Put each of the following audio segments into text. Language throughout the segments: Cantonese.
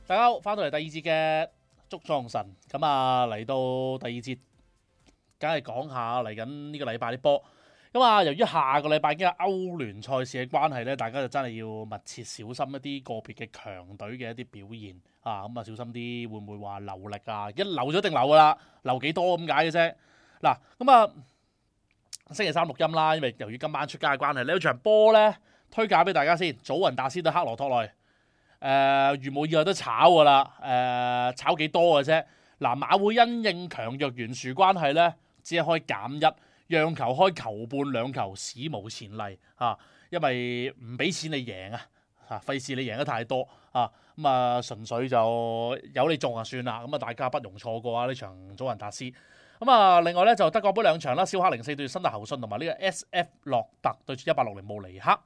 大家好，翻到嚟第二節嘅捉撞神，咁啊嚟到第二節，梗係講下嚟緊呢個禮拜啲波。咁啊，由於下個禮拜已經係歐聯賽事嘅關係咧，大家就真係要密切小心一啲個別嘅強隊嘅一啲表現啊！咁啊，小心啲會唔會話流力啊？一流咗定流噶啦，流幾多咁解嘅啫。嗱，咁啊，星期三錄音啦，因為由於今晚出街嘅關係，呢場波咧推介俾大家先，祖雲達斯對克羅托內。如無意外都炒噶啦，炒幾多嘅啫？嗱，馬會因應強弱懸殊關係咧，只係開減一，讓球開球半兩球，史無前例嚇，因為唔俾錢你贏啊，嚇，費事你贏得太多啊，咁啊純粹就有你中就算啦，咁啊大家不容錯過啊呢場祖雲達斯。咁啊，另外咧就德國杯兩場啦，肖克04對新特侯信同埋呢個 S.F. 洛特對住1860慕尼克，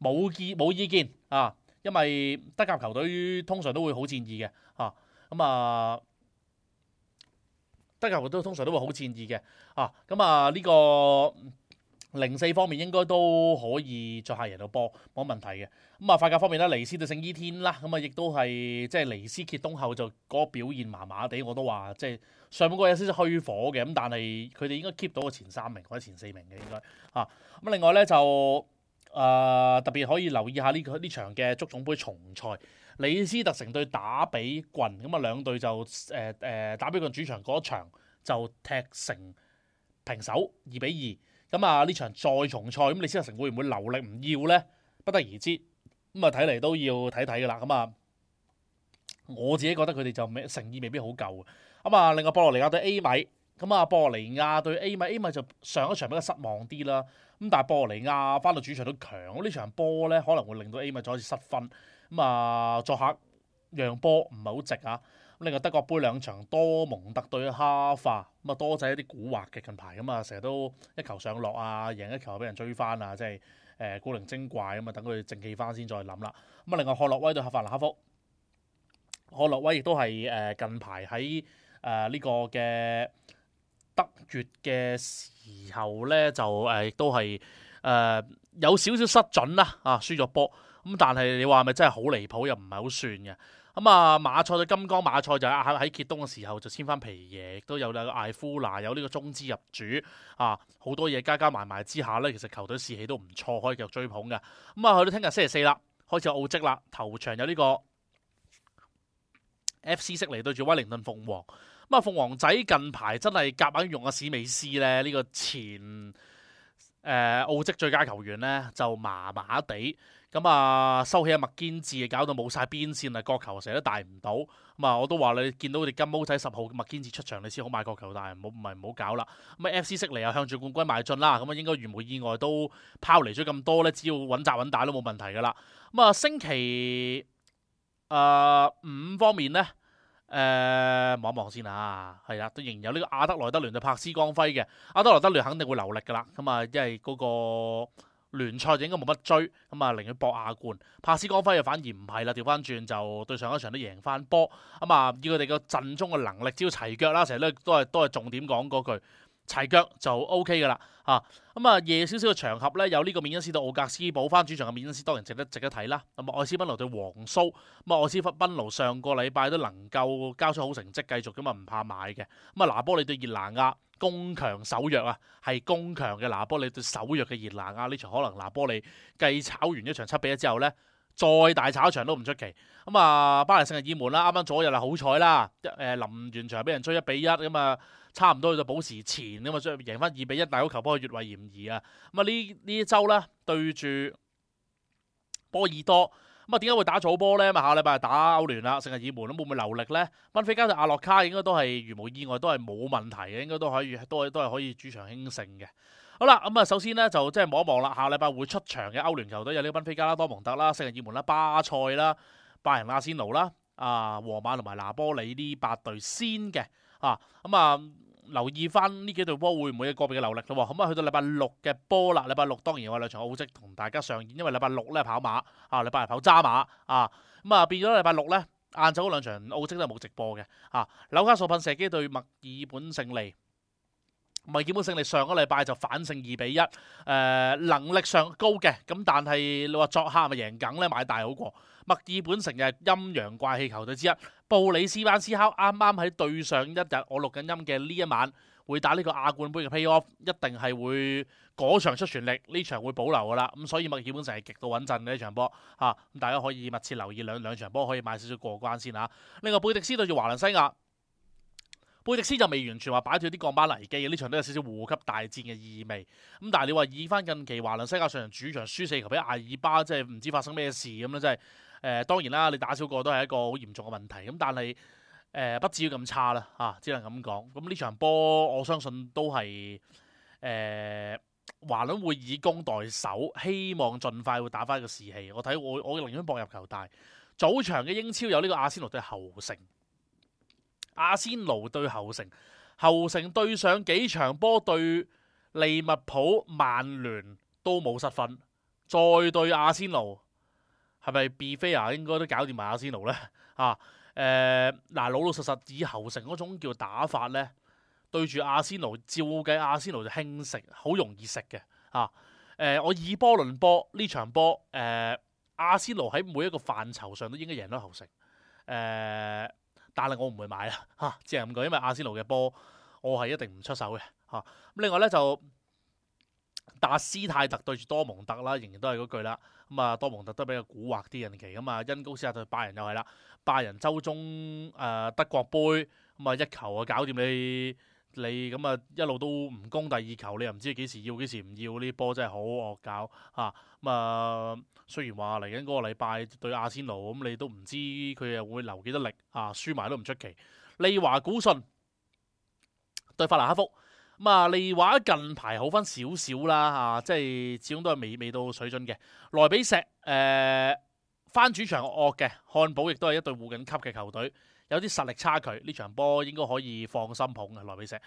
冇意見啊！因為德甲球隊通常都會好戰意嘅嚇，咁啊德甲球隊通常都會好戰意嘅啊，咁啊呢個04方面應該都可以作客贏到波，冇問題嘅。咁啊法甲方面咧，尼斯對聖伊天啦，咁啊亦都係即係尼斯揭東後就嗰個表現麻麻地，我都話即係上半個有少少虛火嘅，咁但係佢哋應該 keep 到個前3名或者前4名嘅應該啊。咁另外咧就特別可以留意下呢場嘅足總杯重賽，李斯特城對打比郡，咁啊兩隊就打比郡主場嗰場就踢成平手2-2，咁啊呢場再重賽，咁李斯特城會唔會留力唔要咧？不得而知，咁啊睇嚟都要睇睇噶啦，咁啊我自己覺得佢哋就誠意未必好夠，咁啊另外波羅尼亞對 A 米。咁啊，波羅尼亞對 A 米就上一場比較失望啲啦。咁但係波羅尼亞翻到主場都強，呢場波咧可能會令到 A 米再一次失分。咁啊，作客讓波唔係好值啊。咁另外德國杯兩場，多蒙特對哈化，咁啊多仔一啲古惑嘅近排，咁啊成日都一球上落啊，贏一球俾人追翻啊，即係古靈精怪咁啊，等佢正氣翻先再諗啦。咁啊，另外漢諾威對法蘭克福，漢諾威亦都係近排喺呢個嘅德乙嘅時候咧，就亦都係有少少失準啦，輸咗波。咁但係你話咪真係好離譜，又唔係好算嘅。咁啊，馬賽對金剛，馬賽就喺揭東嘅時候就簽翻皮耶，亦都有個艾夫拿，有呢個中資入主啊，好多嘢加埋之下咧，其實球隊士氣都唔錯，可以繼續追捧嘅。咁啊，去到聽日星期4啦，開始有澳職啦，頭場有呢個 FC 悉尼對住威靈頓鳳凰。咁啊，鳳凰仔近排真係夾硬用阿史美斯咧，呢個前澳職最佳球員咧就麻麻地，咁啊收起阿麥堅治，搞到冇晒邊線啊，角球成日都帶唔到。咁啊，我都話你見到佢哋金毛仔10號麥堅治出場，你先好買角球，但係唔好搞啦。咁啊 FC 悉尼又向住冠軍邁進啦，咁啊應該如無意外都拋離咗咁多咧，只要穩紮穩打都冇問題噶啦。咁啊星期5方面咧。望一望先啊，係啦，都仍然有呢個阿德萊德聯對柏斯光輝嘅，阿德萊德聯肯定會留力噶啦，咁啊，因為嗰個聯賽就應該冇乜追，咁啊，寧願搏亞冠，柏斯光輝又反而唔係啦，調翻轉就對上一場都贏翻波，咁啊，以佢哋個陣中嘅能力，只要齊腳啦，成日都係重點講嗰句。齊腳就 OK 噶啦嚇，咁啊夜少少嘅場合咧，有呢個緬恩斯對奧格斯堡翻主場嘅緬恩斯當然值得睇啦。咁啊愛斯賓奴對皇蘇，咁啊愛斯賓奴上個禮拜都能夠交出好成績，繼續咁啊唔怕買嘅。咁啊拿波利對熱拿亞，攻強守弱啊，係攻強嘅拿波利對守弱嘅熱拿亞，呢場可能拿波利繼炒完一場7-1之後咧，再大炒一場都唔出奇。咁啊巴黎聖日耳門啦，啱啱左日啊好彩啦，臨完場俾人追1-1咁啊。差唔多去到補時前咁啊，贏翻2-1，大好球波越位嫌疑啊！咁啊呢一周咧對住波爾多，咁啊點解會打早波咧？咁啊下禮拜打歐聯啦，聖日耳門都會唔會留力咧？賓菲加對阿洛卡應該都係如無意外都係冇問題嘅，應該都係可以主場輕勝嘅。好啦，咁啊首先咧就即係望一望啦，下禮拜會出場嘅歐聯球隊有呢個賓菲加啦、多蒙特啦、聖日耳門啦、巴塞啦、拜仁阿仙奴啦、皇馬同埋拿波里呢8隊先嘅。咁啊留意翻呢幾隊波會唔會有個別嘅流力咯？咁啊去到禮拜6嘅波啦，禮拜6當然有兩場澳職同大家上演，因為禮拜6咧跑馬，禮拜日跑渣馬咁啊變咗禮拜6咧晏晝嗰兩場澳職都係冇直播嘅紐卡素噴射機對墨爾本勝利，墨爾本勝利上個禮拜就反勝2-1，能力上高嘅，咁但係你話作客咪贏梗咧，買大好過。墨爾本城嘅陰陽怪氣球隊之一，布里斯班斯考啱啱喺對上一日我錄緊音嘅呢一晚會打呢個亞冠杯嘅 play-off， 一定係會嗰場出全力，呢場會保留噶啦。咁所以墨爾本城係極度穩陣嘅呢場波嚇，咁大家可以密切留意兩場波，可以買少少過關先嚇。另外貝迪斯對住華倫西亞。貝迪斯就未完全話擺脫啲降班危機嘅，呢場都有少少護級大戰嘅意味。咁但係你話以翻近期華倫西亞上場主場輸4球俾阿爾巴，即係唔知發生咩事咁啦，真係當然啦，你打少個都係一個好嚴重嘅問題。咁但係不至於咁差啦嚇，只能咁講。咁呢場波我相信都係華倫會以攻代守，希望盡快會打翻個士氣。我寧願搏入球大。早場嘅英超有呢個阿仙奴對侯城。阿仙奴對侯城，侯城對上幾場波對利物浦、曼聯都冇失分，再對阿仙奴係咪 be fair 應該都搞掂埋阿仙奴呢？老老實實以侯城嗰種叫打法呢，對住阿仙奴，照計阿仙奴就輕食，好容易食嘅我以波論波呢場波，阿仙奴喺每一個範疇上都應該贏到侯城，但係我唔會買啦只係咁講，因為阿仙奴嘅波我係一定唔出手嘅咁另外咧就達斯泰特對住多蒙特啦，仍然都係嗰句啦。咁多蒙特都比較蠱惑啲近期咁恩高斯亞對拜仁又係啦，拜仁周中德國杯咁一球搞掂你咁一路都唔攻第二球，你又唔知幾時要幾時唔要，呢波真係好惡搞雖然話嚟緊嗰個禮拜對阿仙奴咁，你都唔知佢又會留幾多力輸埋都唔出奇。利華古遜對法蘭克福利華近排好翻少少啦即係始終都係未到水準嘅。萊比錫翻主場惡嘅，漢堡亦都係一隊護緊級嘅球隊，有啲實力差距，呢場波應該可以放心捧嘅萊比錫。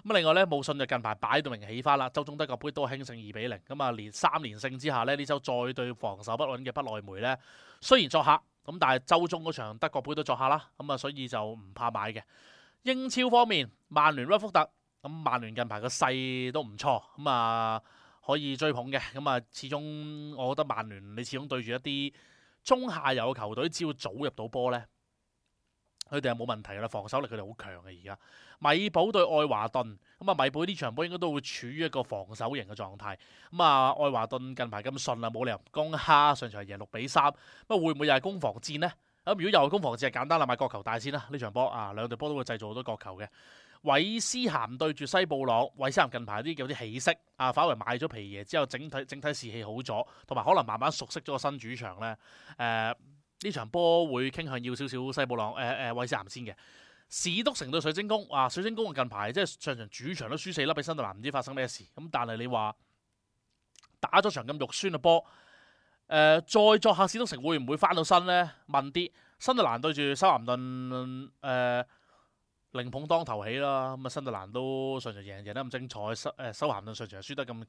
另外咧，慕遜就近排擺到明起翻啦，周中德國杯都輕勝2-0，連3連勝之下呢週再對防守不穩嘅不萊梅呢，雖然作客但係周中嗰場德國杯都作客啦，所以就唔怕買嘅。英超方面，曼聯屈福特曼聯近排個勢都唔錯可以追捧嘅。始終我覺得曼聯你始終對住一啲中下游嘅球隊，只要早入到波呢，佢哋係冇問題噶啦，防守力佢哋好強嘅。而家米堡對愛華頓米堡呢場波應該都會處於一個防守型嘅狀態。愛華頓近排咁順冇理由唔攻蝦，上場贏6-3，會唔會又係攻防戰呢？如果又係攻防戰，係簡單啦，買國球大先啦。呢場波兩隊波都會製造好多國球嘅。韋斯咸對住西布朗，韋斯咸近排有啲起色反為買咗皮爺之後，整體士氣好咗，同埋可能慢慢熟悉咗個新主場咧。呢場波會傾向要少少西布朗韋斯咸先嘅。史篤城對水晶宮水晶宮近排即係上場主場都輸4粒俾新特蘭，唔知發生咩事。但係你話打咗場咁肉酸嘅波，再作客史篤城會唔會翻到身呢？問啲新特蘭對住修咸頓靈捧當頭起啦，新特蘭都上場贏得咁精彩，修咸頓上場輸得咁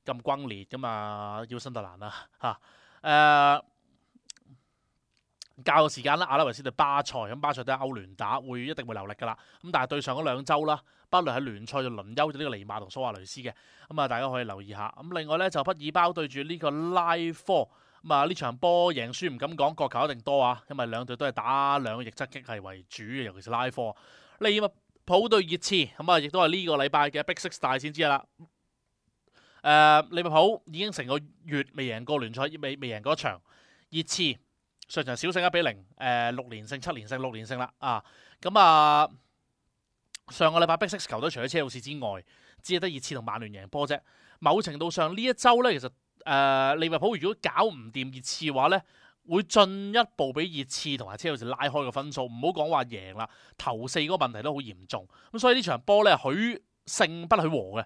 轟烈噶嘛，要新特蘭啦較個時間啦，阿拉維斯對巴塞，巴塞都係歐聯打，一定會流力噶啦。但係對上嗰2週啦，不論喺聯賽就輪休咗呢個尼馬同蘇亞雷斯嘅，大家可以留意下。另外咧就畢爾包對住呢個拉科，呢場波贏輸唔敢講，國球一定多因為兩隊都係打兩個逆側擊係為主嘅，尤其是拉科。利物浦對熱刺，亦都係呢個禮拜嘅 Big Six 大戰之一啦。利物浦已經成個月未贏過聯賽，未贏過一場。熱刺上場小勝1-0，6連勝7連勝6連勝啦上個禮拜 Big Six 球隊除咗車路士之外，只係得熱刺同曼聯贏波啫。某程度上呢一周咧，其實利物浦如果搞唔掂熱刺嘅話咧，會進一步俾熱刺同埋車路士拉開個分數。唔好講話贏啦，頭4嗰個問題都好嚴重。所以呢場波咧，許勝不許和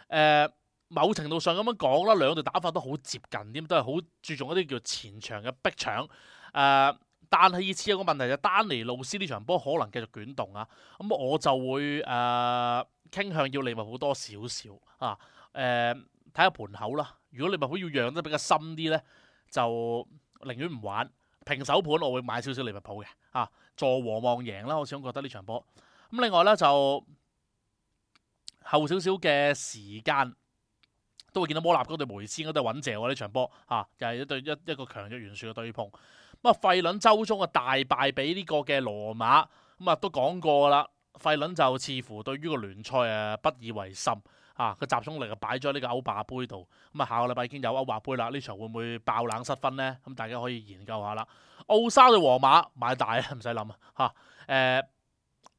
嘅某程度上咁樣講啦，兩隊打法都好接近，點都係好注重一啲叫前場嘅逼搶。但係熱刺有個問題就丹尼路斯呢場波可能繼續捲動我就會傾向要利物浦多少少睇下盤口啦。如果利物浦要讓得比較深啲咧，就寧願唔玩平手盤，我會買少少利物浦嘅助和望贏啦。我始終覺得呢場波另外咧就後少少嘅時間，都會見到摩納嗰對梅斯嗰對穩謝喎呢場波嚇，又係一個強弱懸殊嘅對碰。咁啊，費倫周中嘅大敗俾呢個嘅羅馬，咁啊都講過啦。費倫就似乎對於個聯賽不以為心啊，個集中力啊擺咗喺呢個歐霸杯度。咁啊，下個禮拜已經有歐霸杯啦，呢場會唔會爆冷失分呢？咁大家可以研究下啦。奧沙對皇馬買大唔使諗啊嚇。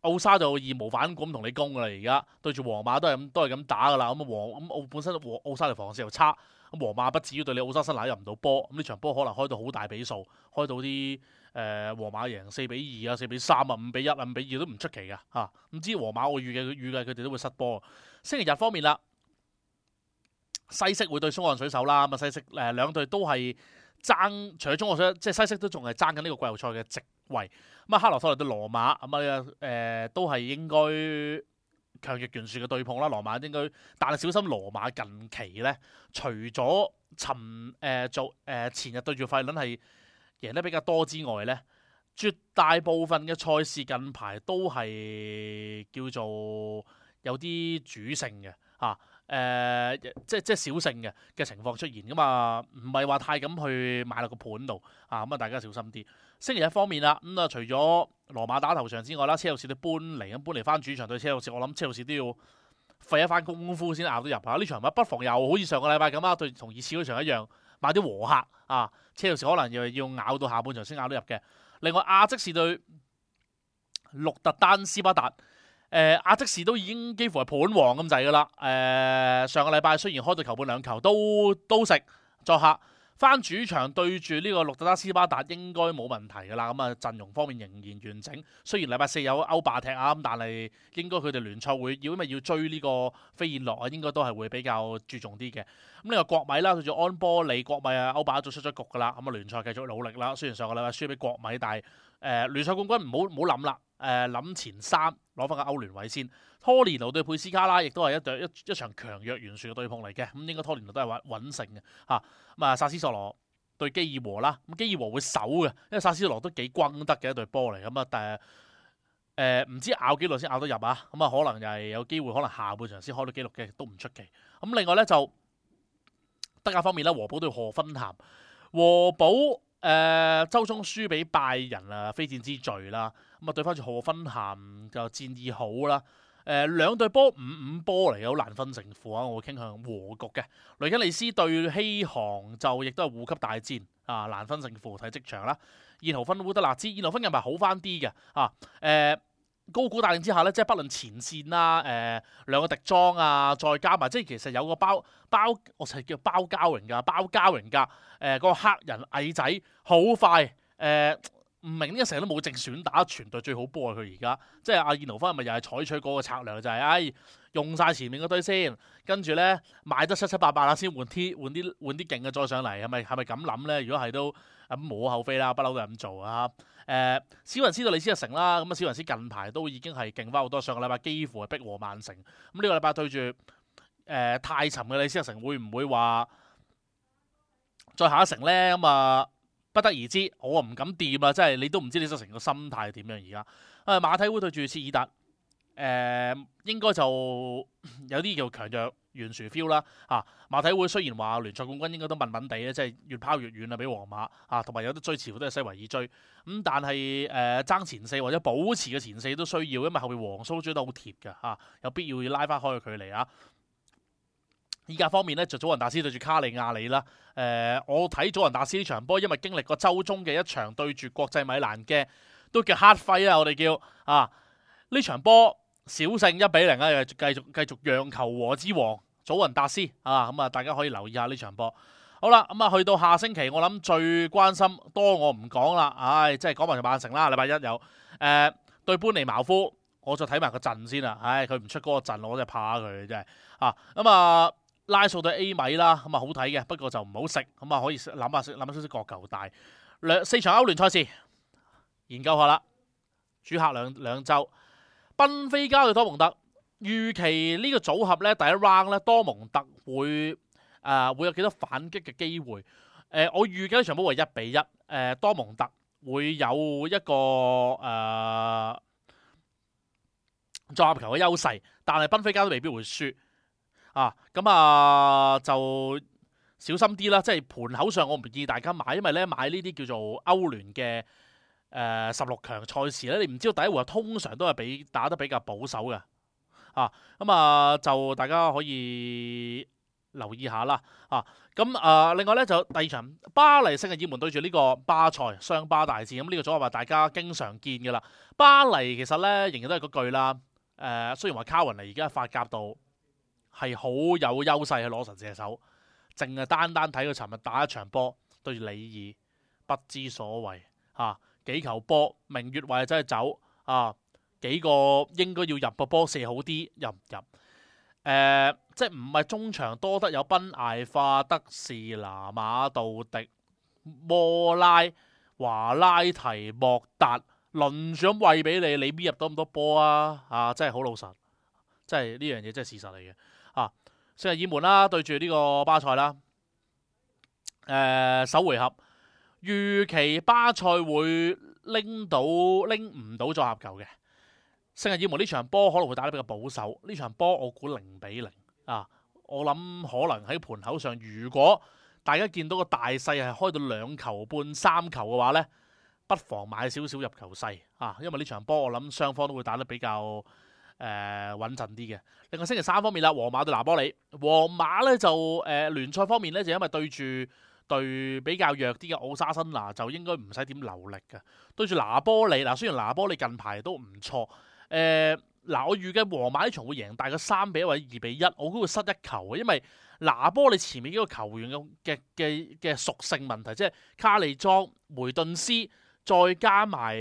奧沙就義無反顧咁同你攻噶啦，而家對住皇馬都係咁打噶啦。咁本身奧沙條防線又差，咁皇馬不至於對你奧沙辛拿入唔到波。咁呢場波可能開到好大比數，開到啲皇馬贏4-2啊、4-3啊、5-1啊、5-2都唔出奇噶嚇。唔知皇馬我預計佢哋都會失波。星期日方面啦，西式會對蘇岸水手啦。咁啊，西式兩隊都係爭，除咗中國水，即係西式都仲係爭緊呢個季後賽嘅席位。咁啊，克羅托利對羅馬咁都係應該強弱懸殊嘅對碰啦。羅馬應該，但係小心羅馬近期咧，除咗前日對住費倫係贏得比較多之外咧，絕大部分嘅賽事近排都係叫做有啲主勝嘅嚇。即係小勝嘅情況出現噶嘛，唔係話太咁去買落個盤度啊，咁啊大家小心啲。星期一方面啦，咁啊除咗羅馬打頭場之外啦，車路士都搬嚟翻主場對車路士，我諗車路士都要費一番功夫先咬到入啊！呢場不妨又好似上個禮拜咁啊，對同熱刺嗰場一樣買啲和客啊，車路士可能又要咬到下半場先咬到入嘅。另外亞積士對鹿特丹斯巴達。亞積士都已經幾乎係盤王咁滯噶啦。上個禮拜雖然開到球半兩球都食作客，翻主場對住呢個鹿特丹斯巴達應該冇問題噶啦。咁啊陣容方面仍然完整，雖然禮拜四有歐霸踢啊，咁但係應該佢哋聯賽會因為要追呢個飛燕諾啊，應該都係會比較注重啲嘅。咁呢個國米啦，對住安波里，國米啊歐霸都出咗局噶啦。咁啊聯賽繼續努力啦。雖然上個禮拜輸俾國米，但係聯賽冠軍唔好諗啦。諗前3攞翻個歐聯位先。拖連奴對佩斯卡拉亦都係一場強弱懸殊嘅對碰嚟嘅。咁應該拖連奴都係穩勝嘅嚇。咁啊薩斯索羅對基爾和啦，咁基爾和會守嘅，因為薩斯索羅都幾轟得嘅一隊波嚟。咁啊唔知咬幾耐先咬得入啊。咁啊可能又係有機會，可能下半場先開到紀錄嘅都唔出奇。咁另外咧就德甲方面咧，和堡對賀芬咸，和堡周中輸俾拜仁啊，非戰之罪啦。咁啊對翻住賀芬咸就戰意好啦。兩隊波5-5波嚟嘅，好難分勝負啊！我會傾向和局嘅。雷吉利斯對希航就亦都係護級大戰啊，難分勝負睇即場啦。燕豪芬烏德勒支，燕豪芬近排好翻啲嘅啊。高估大令之下咧，即係不論前線啦，兩個迪莊啊，再加埋即係其實有個包，我就係叫包膠榮㗎，個黑人矮仔好快，唔明呢個成日都冇正選打，全隊最好波啊！佢而家即係阿燕奴芬，咪又係採取嗰個策略，就係用晒前面嗰堆先，跟住咧買得七七八八啦，先換啲勁嘅再上嚟，係咪咁諗咧？如果係都咁無可厚非啦，不嬲都係咁做啊！史雲斯對李斯特城啦，咁啊史雲斯近排都已經係勁翻好多，上個禮拜幾乎係逼和曼城，咁呢個禮拜對住太沉嘅李斯特城，會唔會話再下一城咧？咁啊不得而知，我唔敢掂啦，即係你都唔知李斯特城個心態點樣而家。馬體會對住切爾達，應該就有啲叫強弱懸殊 feel 啦。馬體會雖然話聯賽冠軍應該都問問地咧，即係越拋越遠啦，俾皇馬同埋有得追，似乎都係西維爾追。咁但係爭前4或者保持嘅前4都需要，因為後面皇蘇追得好貼嘅有必要拉翻開個距離啊。依家方面咧，就祖雲達斯對住卡利亞里啦。我睇祖雲達斯呢場波，因為經歷過周中嘅一場對住國際米蘭嘅，都叫黑費啊！我哋叫呢場波小勝1-0啊，繼續讓球和之王祖雲達斯咁啊，大家可以留意下呢場波。好啦，咁啊去到下星期，我諗最關心多我唔講啦，即係講埋就曼城啦。禮拜一有對班尼茅夫，我就睇埋個陣先啦。佢唔出嗰個陣，我真係怕佢真係咁啊。拉素對 A 米啦，咁啊好睇嘅，不過就唔好食，咁啊可以諗下少少角球大。4場歐聯賽事研究下啦，主客兩週，賓菲加對多蒙特，預期呢個組合咧第一 round 咧多蒙特會有幾多反擊嘅機會？我預計呢場波為1-1，多蒙特會有一個作入球嘅優勢，但係賓菲加都未必會輸咁就小心啲啦。即係盤口上我唔建議大家買，因為咧買呢啲叫做歐聯嘅16強賽事咧，你唔知道第一回合通常都係打得比較保守嘅就大家可以留意下啦另外咧就第二場巴黎聖日耳門對住呢個巴塞雙巴大戰，咁呢個組合話大家經常見嘅啦。巴黎其實咧仍然都係嗰句啦，雖然話卡雲尼而家喺法甲度係好有優勢去攞神射手，淨係單睇佢尋日打一場波對住里爾，不知所謂幾球波明月位真係走幾個應該要入個波射好啲入唔入？即係唔係中場多得有賓艾化、德士拿、馬杜迪、摩拉、華拉提、莫達輪住咁餵俾你，你邊入到咁多波真係好老實，真係呢樣嘢真係事實嚟嘅聖日耳門啦對住呢個巴塞啦，首回合預期巴塞會拎唔到作客球嘅。聖日耳門呢場波可能會打得比較保守，呢場波我估0-0我諗可能喺盤口上，如果大家見到個大細係開到2球半3球嘅話呢，不妨買少少入球勢因為呢場波我諗雙方都會打得比較穩陣啲嘅。另外星期三方面啦，皇馬對拿波里，皇馬呢就聯賽方面呢，就因為對住對比較弱啲嘅奧沙辛拿就應該唔使點流力嘅，對住拿波里雖然拿波里近排都唔錯我預計皇馬呢場會贏大概3-1或者2-1，我估會失1球嘅，因為拿波里前面幾個球員嘅屬性問題，即係卡利莊、梅頓斯，再加埋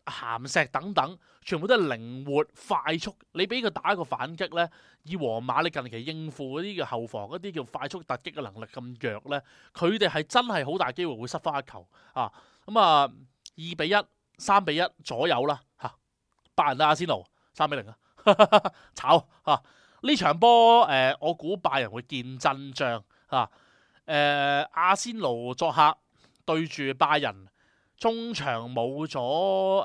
鹹石等等，全部都係靈活快速。你俾佢打一個反擊呢，以皇馬你近期應付嗰啲嘅後防一啲叫快速突擊嘅能力咁弱呢，佢哋係真係好大機會會失翻1球2-1、3-1左右啦拜仁對阿仙奴3-0炒呢場波我估拜仁會見真章阿仙奴作客對住拜仁，中場冇咗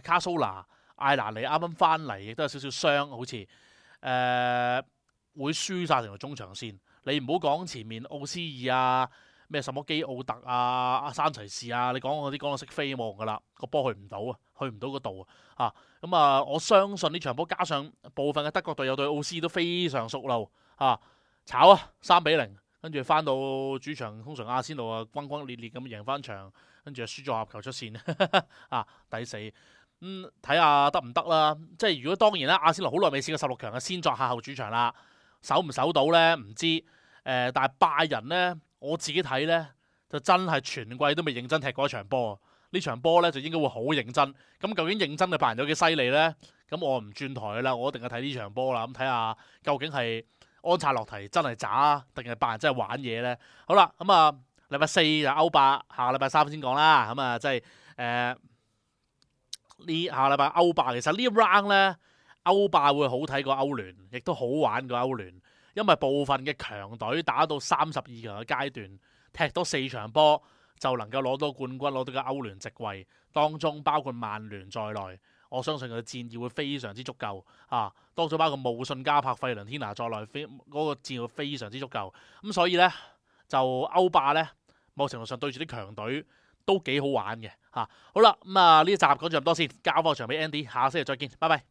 卡蘇拿、艾拿尼啱啱翻嚟，亦都有少少傷，好似會輸晒成個中場線。你唔好講前面奧斯爾咩什麼基奧特阿山齊士你講嗰啲講到識飛望噶啦，個波去唔到去唔到嗰度我相信呢場波加上部分嘅德國隊友對奧斯都非常熟路炒3-0，跟住翻到主場，通常阿仙奴轟轟烈烈咁贏翻場，跟住輸咗合球出線抵死睇下得唔得啦。即係如果當然啦，阿仙奴好耐未試過16強嘅先作客後主場啦，守唔守到呢？唔知但係拜仁呢，我自己睇呢，就真係全季都未認真踢過一場波。呢場波呢，就應該會好認真。咁究竟認真嘅拜仁有幾犀利呢？咁我唔轉台啦，我一定係睇呢場波啦。咁睇下究竟係安察洛提真係渣定係拜仁真係玩嘢呢？好啦，咁禮拜4就歐霸，下個禮拜3先講啦。咁即係呢下個禮拜歐霸，其實呢 round 呢，歐霸會好睇過歐聯，亦都好玩過歐聯。因為部分嘅強隊打到32強嘅階段，踢多4場波就能夠攞到冠軍，攞到個歐聯席位，當中包括曼聯在內，我相信佢嘅戰意會非常之足夠當中包括慕遜加柏、費倫天拿在內，嗰個戰意會非常之足夠。咁所以呢，就歐霸呢，某程度上對住啲強隊都幾好玩嘅好啦，咁呢一集講咗咁多先，交翻場俾 Andy，下星期再見，拜拜。